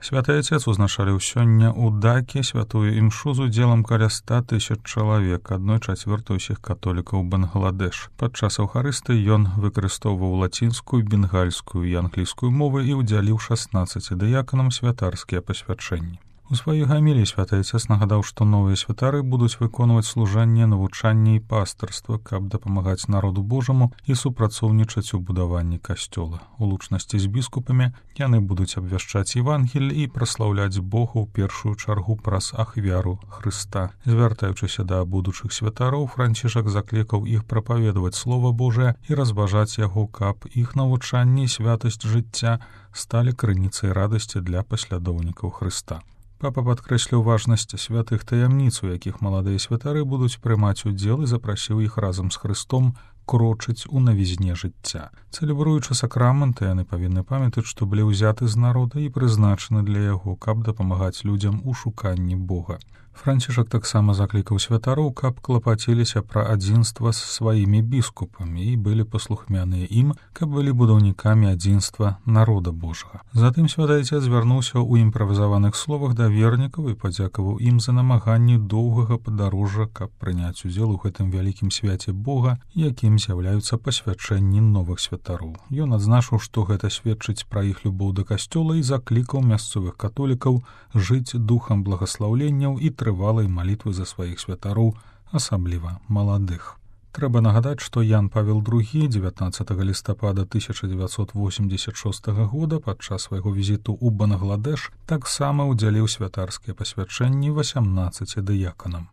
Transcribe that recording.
Святы Отец узначаліў сёння ў Даке святую імшу з удзелам каля 100 000 чалавек, 1/4 ўсіх католікаў Бангладеш. Падчас Аўхарыстыі ён выкарыстоўваў лацінскую, бенгальскую і англійскую мовы і ўдзяліў 16 дыяканам святарскія пасвячэнні. У сваёй гаміліі святы Отец нагадаў, што новыя святары будуць выконваць служанне, навучанне і пастырства, каб дапамагаць народу Божаму і супрацоўнічаць у будаванні касцёла. У лучнасці з біскупамі яны будуць абвяшчаць Евангель і праслаўляць Бога ў першую чаргу праз ахвяру Хрыста. Звяртаючыся да будучых святароў, Францішак заклікаў іх прапаведаваць Слова Божае і разважаць яго, каб іх навучанне і святасць жыцця сталі крыніцай радасці для паслядоўнікаў Хрыста. Папа падкрэсліў важнасць святых таямніц, у якіх маладыя святары будуць прымаць удзел, і запрасіў іх разам з Хрыстом крочыць у навізне жыцця. Цэлебруючы сакрамэнты, яны павінны памятаць, што былі ўзяты з народа і прызначаны для яго, каб дапамагаць людзям у шуканні Бога. Францішак таксама заклікаў святароў, каб клапаціліся пра адзінства з сваімі біскупамі і былі паслухмяныя ім, каб былі будаўнікамі адзінства народа Божага. Затым святы Отец звярнуўся ў імправізаваных словах да вернікаў і падзякаваў ім за намаганні доўгага падарожжа, каб прыняць удзел у гэтым вялікім свяце Бога, якім з'яўляюцца пасвячэнні новых святароў. Ён адзначыў, што гэта сведчыць пра іх любоў да касцёла і заклікаў мясцовых католікаў жыць духам благаслаўленняў і трывалай малітвы за сваіх святароў, асабліва маладых. Трэба нагадаць, што Ян Павел II 19 лістапада 1986 года падчас свайго візіту ў Бангладеш таксама ўдзяліў святарскія пасвячэнні 18 дыяканам.